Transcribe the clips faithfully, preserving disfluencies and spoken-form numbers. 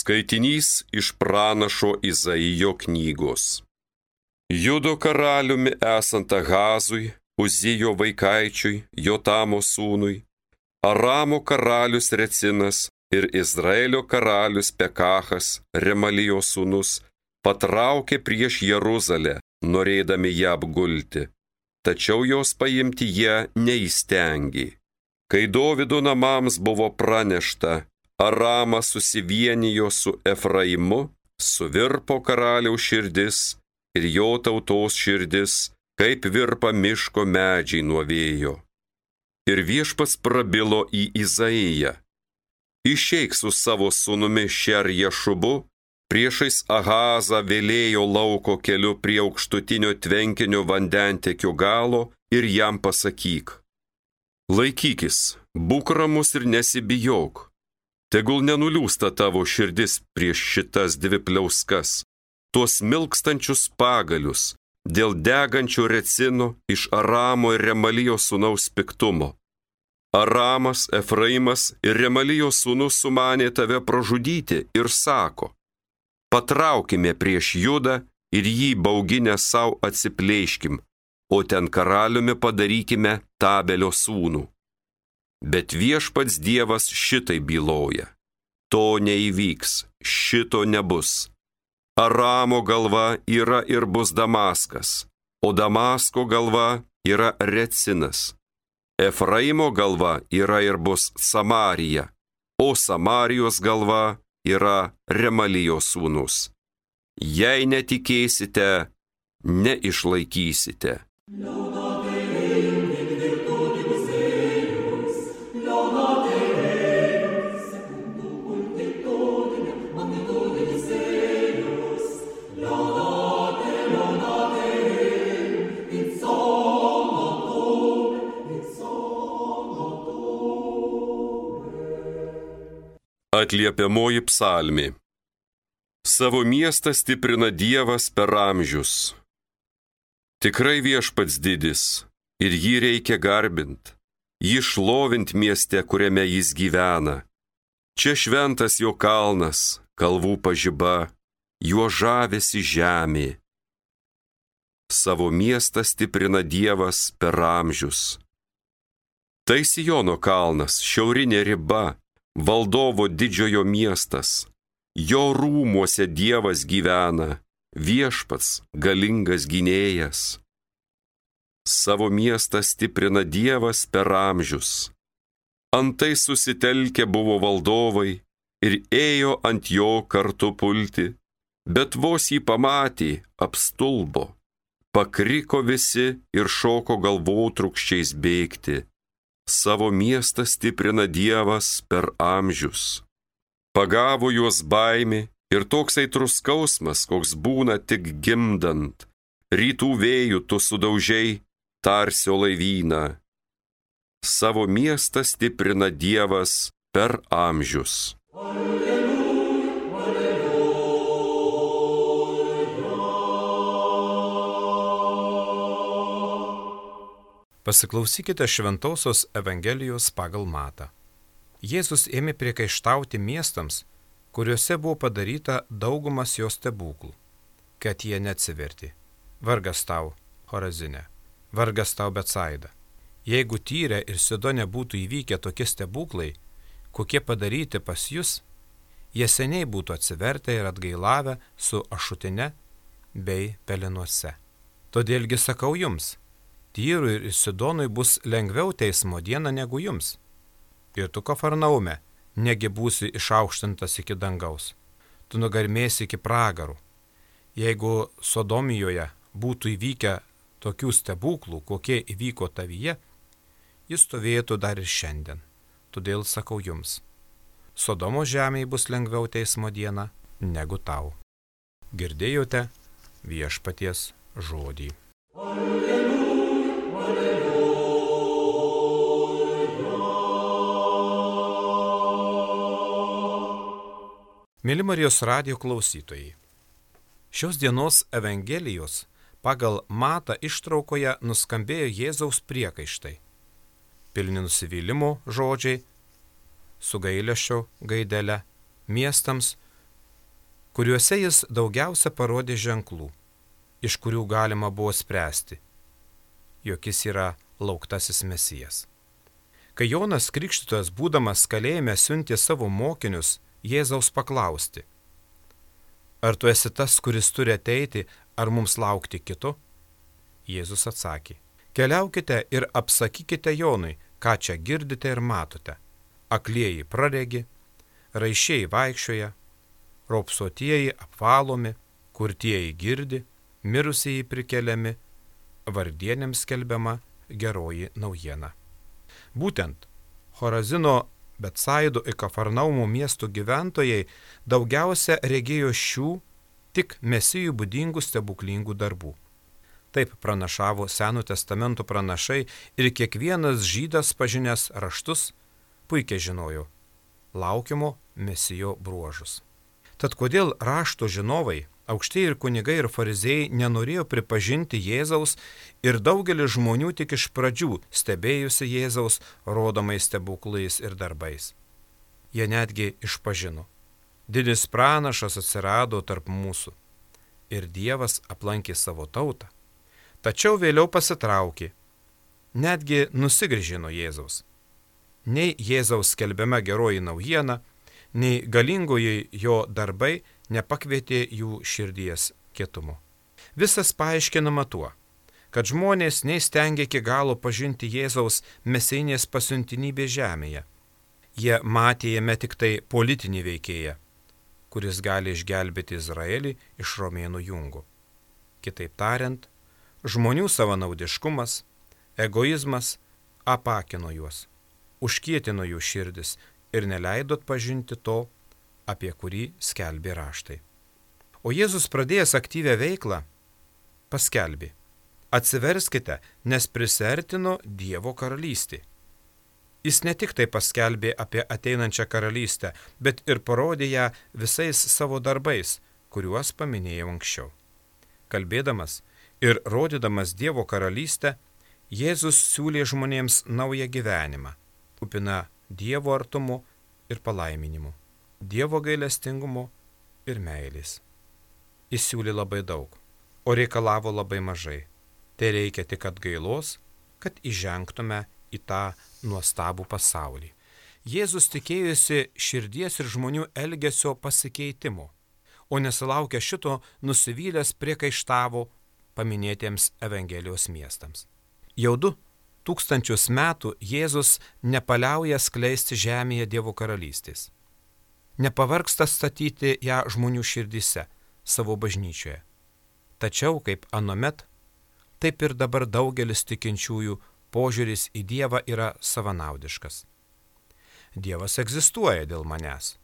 Skaitinys iš pranašo Izaijo knygos. Judo karaliumi esant Ahazui, Uzijo vaikaičiui, Jotamo sūnui, Aramo karalius Recinas ir Izraelio karalius Pekachas, Remalijo sūnus, patraukė prieš Jeruzalę, norėdami ją apgulti, tačiau jos paimti jie neįstengė. Kai Dovydo namams buvo pranešta, Aramas susivienijo su Efraimu, suvirpo karaliaus širdis ir jo tautos širdis, kaip virpa miško medžiai nuo vėjo. Ir viešpats prabilo į Izaiją: išeik su savo sūnumi Šerjašubu, priešais Ahazą vėlėjo lauko keliu prie aukštutinio tvenkinio vandentekio galo ir jam pasakyk: laikykis, būk ramus ir nesibijok. Tegul nenuliūsta tavo širdis prieš šitas dvi pliauskas, tuos milkstančius pagalius, dėl degančio Recino iš Aramo ir Remalijo sūnaus piktumo. Aramas, Efraimas ir Remalijo sūnus sumanė tave pražudyti ir sako: patraukime prieš Judą ir jį bauginę savo atsiplėškim, o ten karaliumi padarykime Tabelio sūnų. Bet viešpats Dievas šitai byloja: to neįvyks, šito nebus. Aramo galva yra ir bus Damaskas, o Damasko galva yra Recinas. Efraimo galva yra ir bus Samarija, o Samarijos galva yra Remalijo sūnus. Jei netikėsite, neišlaikysite. Atliepiamoji psalmė. Savo miestą stiprina Dievas per amžius. Tikrai viešpats didis, ir jį reikia garbint, jį šlovint mieste, kuriame jis gyvena. Čia šventas jo kalnas, kalvų pažiba, juo žavėsi žemė. Savo miestą stiprina Dievas per amžius. Tai Siono kalnas, šiaurinė riba, valdovo didžiojo miestas. Jo rūmuose Dievas gyvena, viešpats galingas gynėjas. Savo miestą stiprina Dievas per amžius. Antai susitelkę buvo valdovai ir ėjo ant jo kartu pulti, bet vos jį pamatė, apstulbo. Pakriko visi ir šoko galvotrūkščiais bėgti. Savo miestą stiprina Dievas per amžius. Pagavo juos baimė ir toks aitrus skausmas, koks būna tik gimdant. Rytų vėjų tu sudaužiai Tarsio laivyną. Savo miestą stiprina Dievas per amžius. Pasiklausykite Šventosios Evangelijos pagal Matą. Jėzus ėmė priekaištauti miestams, kuriuose buvo padaryta daugumas jo stebuklų, kad jie neatsivertė. Vargas tau, Chorazine, vargas tau, Betsaida. Jeigu Tyre ir Sidone būtų įvykę tokie stebuklai, kokie padaryti pas jus, jie seniai būtų atsivertę ir atgailavę su ašutine bei pelenuose. Todėlgi sakau jums, Tyrui ir Sidonui bus lengviau teismo dieną negu jums. Ir tu, Kafarnaume, negi būsi išaukštintas iki dangaus. Tu nugarmėsi iki pragarų. Jeigu Sodomijoje būtų įvykę tokių stebuklų, kokie įvyko tavyje, jis stovėtų dar ir šiandien. Todėl sakau jums, Sodomo žemėje bus lengviau teismo dieną negu tau. Girdėjote viešpaties žodį. Mėly Marijos radijo klausytojai, šios dienos Evangelijos pagal Matą ištraukoje nuskambėjo Jėzaus priekaištai, pilni nusivylimo žodžiai, su gailesčio gaidele, miestams, kuriuose jis daugiausia parodė ženklų, iš kurių galima buvo spręsti, jog jis yra lauktasis Mesijas. Kai Jonas Krikštytojas, būdamas kalėjime, siuntė savo mokinius Jėzaus paklausti: ar tu esi tas, kuris turi ateiti, ar mums laukti kito? Jėzus atsakė: keliaukite ir apsakykite Jonui, ką čia girdite ir matote. Aklieji praregi, raiščiai vaikščioja, raupsuotieji apvalomi, kurtieji girdi, mirusieji prikeliami, vargdienėms skelbiama geroji naujiena. Būtent Chorazino, Betsaido ir Kafarnaumo miestų gyventojai daugiausia regėjo šių tik Mesijui būdingų stebuklingų darbų. Taip pranašavo Seno testamento pranašai ir kiekvienas žydas pažinęs raštus puikiai žinojo laukiamo Mesijo bruožus. Tad kodėl rašto žinovai, aukštieji ir kunigai ir fariziejai nenorėjo pripažinti Jėzaus ir daugelis žmonių tik iš pradžių stebėjusi Jėzaus rodomais stebuklais ir darbais? Jie netgi išpažino: didis pranašas atsirado tarp mūsų ir Dievas aplankė savo tautą. Tačiau vėliau pasitraukė, netgi nusigręžė nuo Jėzaus. Nei Jėzaus skelbiama geroji naujiena, nei galingoji jo darbai nepakvietė jų širdies kietumo. Visas paaiškinama tuo, kad žmonės neįstengė iki galo pažinti Jėzaus mesijinės pasiuntinybės žemėje. Jie matė jame tik tai politinį veikėją, kuris gali išgelbėti Izraelį iš romėnų jungo. Kitaip tariant, žmonių savanaudiškumas, egoizmas apakino juos, užkietino jų širdis ir neleido atpažinti to, apie kurį skelbė raštai. O Jėzus, pradėjęs aktyvią veiklą, paskelbė: atsiverskite, nes prisertino Dievo karalystė. Jis ne tik tai paskelbė apie ateinančią karalystę, bet ir parodė ją visais savo darbais, kuriuos paminėjau anksčiau. Kalbėdamas ir rodydamas Dievo karalystę, Jėzus siūlė žmonėms naują gyvenimą, kupina Dievo artumo ir palaiminimu, Dievo gailestingumo ir meilės. Jis siūlė labai daug, o reikalavo labai mažai. Tai reikia tik atgailos, kad įžengtume į tą nuostabų pasaulį. Jėzus tikėjosi širdies ir žmonių elgesio pasikeitimo, o nesulaukę šito nusivylęs priekaištavo paminėtiems Evangelijos miestams. Jau du tūkstančius metų Jėzus nepaliauja skleisti žemėje Dievo karalystės. Nepavargsta statyti ją žmonių širdyse, savo bažnyčioje. Tačiau, kaip anuomet, taip ir dabar daugelis tikinčiųjų požiūris į Dievą yra savanaudiškas. Dievas egzistuoja dėl manęs,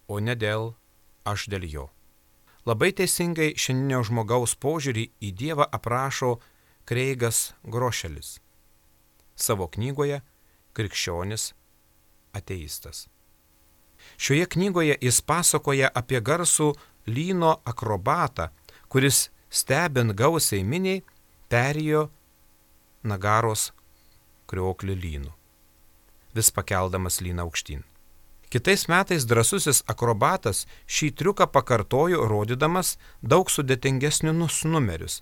o ne dėl aš dėl jo. Labai teisingai šiandienio žmogaus požiūrį į Dievą aprašo Kreigas Grošelis savo knygoje Krikščionis ateistas. Šioje knygoje jis pasakoja apie garsų lyno akrobatą, kuris stebint gausiai miniai perėjo Nagaros krioklį lynu, vis pakeldamas lyną aukštyn. Kitais metais drąsusis akrobatas šį triuką pakartojo, rodydamas daug sudėtingesnius numerius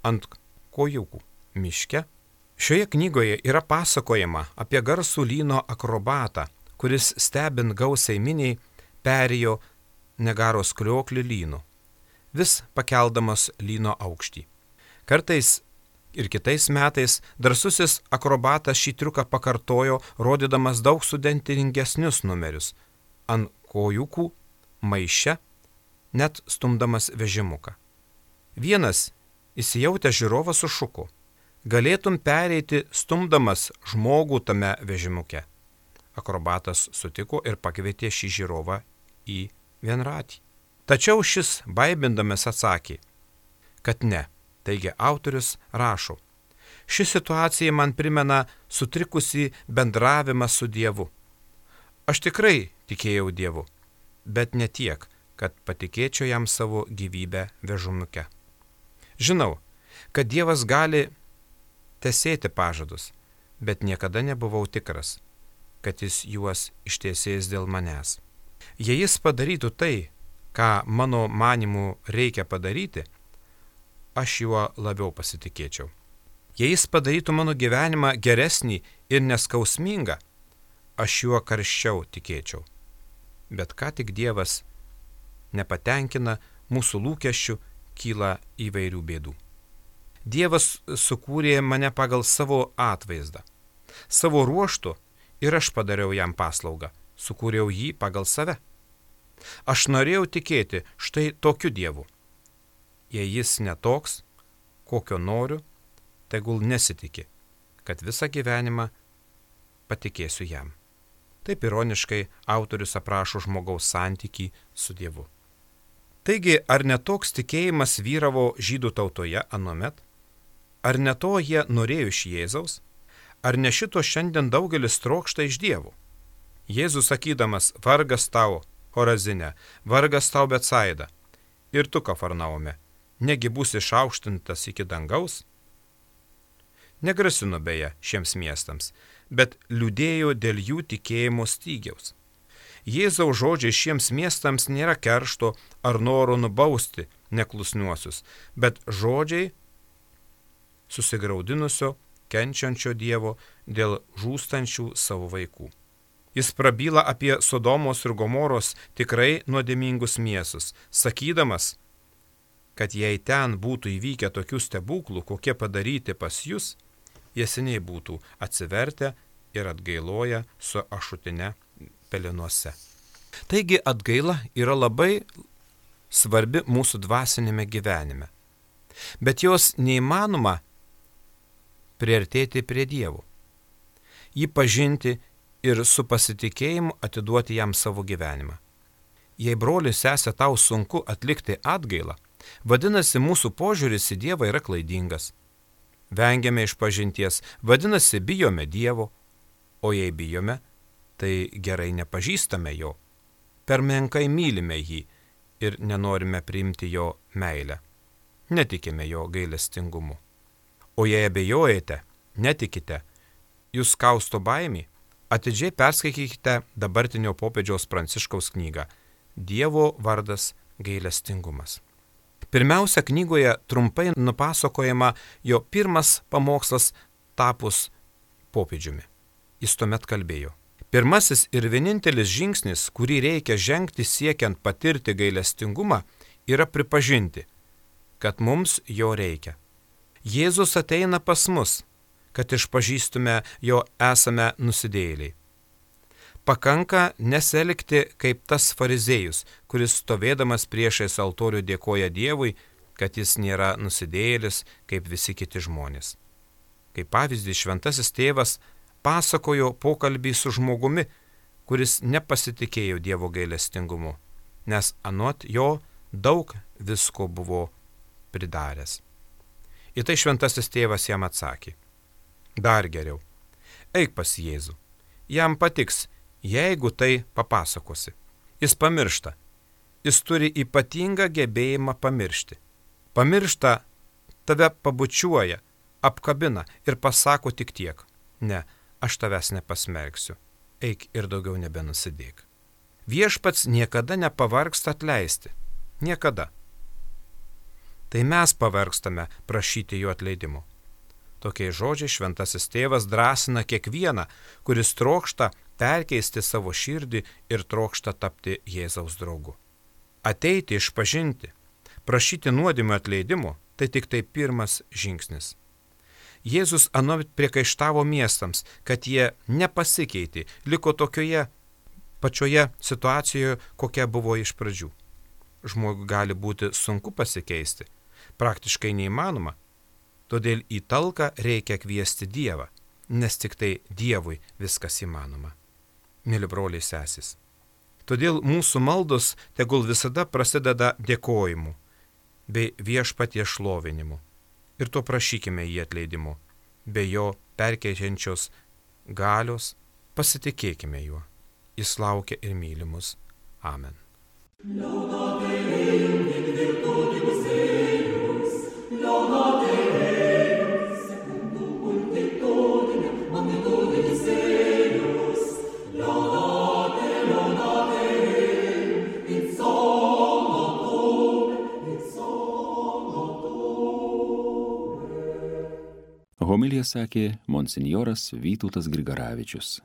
ant kojūkų miške. Šioje knygoje yra pasakojama apie garsų lyno akrobatą, kuris stebint gausiai miniai perėjo Nagaros krioklį lynu, vis pakeldamas lyno aukštį. Kartais ir kitais metais drąsusis akrobatas šį triuką pakartojo, rodydamas daug sudėtingesnius numerius ant kojūkų maiše, net stumdamas vežimuką. Vienas įsijautęs žiūrovas sušuko: galėtum pereiti stumdamas žmogų tame vežimuke. Akrobatas sutiko ir pakvietė šį žiūrovą į vienratį. Tačiau šis baibindamas atsakė, kad ne. Taigi autorius rašo: ši situacija man primena sutrikusį bendravimą su Dievu. Aš tikrai tikėjau Dievu, bet ne tiek, kad patikėčiau jam savo gyvybę vežimuke. Žinau, kad Dievas gali tesėti pažadus, bet niekada nebuvau tikras, kad jis juos ištiesės dėl manęs. Jei jis padarytų tai, ką mano manimu reikia padaryti, aš juo labiau pasitikėčiau. Jei jis padarytų mano gyvenimą geresnį ir neskausmingą, aš juo karščiau tikėčiau. Bet ką tik Dievas nepatenkina, mūsų lūkesčių kyla įvairių bėdų. Dievas sukūrė mane pagal savo atvaizdą. Savo ruožtu ir aš padariau jam paslaugą, sukūriau jį pagal save. Aš norėjau tikėti štai tokiu Dievu. Jei jis netoks, kokio noriu, tegul nesitiki, kad visą gyvenimą patikėsiu jam. Taip ironiškai autorius aprašo žmogaus santykį su Dievu. Taigi, ar netoks tikėjimas vyravo žydų tautoje anuomet? Ar ne to jie norėjo iš Jėzaus? Ar ne šito šiandien daugelis trokšta iš Dievo? Jėzus sakydamas, vargas tau, Chorazine, vargas tau Betsaida, ir tu, Kafarnaume, negi būsi išaukštintas iki dangaus? Negrasino beje šiems miestams, bet liūdėjo dėl jų tikėjimo stygiaus. Jėzaus žodžiai šiems miestams nėra keršto ar noro nubausti neklusniuosius, bet žodžiai susigraudinusio, kenčiančio Dievo dėl žūstančių savo vaikų. Jis prabyla apie Sodomos ir Gomoros tikrai nuodėmingus miestus, sakydamas, kad jei ten būtų įvykę tokių stebuklų, kokie padaryti pas jūs, jie seniai būtų atsivertę ir atgailoję su ašutine pelenuose. Taigi atgaila yra labai svarbi mūsų dvasinėme gyvenime, bet jos neįmanoma priartėti prie Dievo, jį pažinti ir su pasitikėjimu atiduoti jam savo gyvenimą. Jei broli sesė tau sunku atlikti atgailą, vadinasi mūsų požiūris į Dievą yra klaidingas. Vengiame išpažinties, vadinasi bijome Dievo, o jei bijome, tai gerai nepažįstame jo, per menkai mylime jį ir nenorime priimti jo meilę, netikime jo gailestingumu. O jei abejojate, netikite, jūs kausto baimį, atidžiai perskaitykite dabartinio popiežiaus Pranciškaus knygą Dievo vardas gailestingumas. Pirmiausia, knygoje trumpai nupasakojama jo pirmas pamokslas tapus popiežiumi. Jis tuomet kalbėjo. Pirmasis ir vienintelis žingsnis, kurį reikia žengti siekiant patirti gailestingumą, yra pripažinti, kad mums jo reikia. Jėzus ateina pas mus, kad išpažįstume jo esame nusidėjėliai. Pakanka neselgti kaip tas fariziejus, kuris stovėdamas priešais altorių dėkoja Dievui, kad jis nėra nusidėjėlis kaip visi kiti žmonės. Kaip pavyzdį šventasis tėvas pasakojo pokalbį su žmogumi, kuris nepasitikėjo Dievo gailestingumu, nes anot jo daug visko buvo pridaręs. Į tai šventasis tėvas jam atsakė. Dar geriau, eik pas Jėzų, jam patiks, jeigu tai papasakosi. Jis pamiršta, jis turi ypatingą gebėjimą pamiršti. Pamiršta, tave pabučiuoja, apkabina ir pasako tik tiek. Ne, aš tavęs nepasmerksiu, eik ir daugiau nebenusidėk. Viešpats niekada nepavargsta atleisti, niekada. Tai mes pavargstame prašyti jo atleidimo. Tokiais žodžiais šventasis tėvas drąsina kiekvieną, kuris trokšta perkeisti savo širdį ir trokšta tapti Jėzaus draugu. Ateiti išpažinti, prašyti nuodėmių atleidimo, tai tik tai pirmas žingsnis. Jėzus anuomet priekaištavo miestams, kad jie nepasikeitė, liko tokioje pačioje situacijoje, kokia buvo iš pradžių. Žmogui gali būti sunku pasikeisti, praktiškai neįmanoma, todėl į talką reikia kviesti Dievą, nes tik tai Dievui viskas įmanoma. Mėly broliai sesės, todėl mūsų maldos tegul visada prasideda dėkojimu bei viešpaties šlovinimu ir to prašykime jį atleidimu, be jo perkeičiančios galios pasitikėkime juo. Jis laukia ir myli mus. Amen. It's all Homiliją sakė monsinjoras Vytautas Grigaravičius.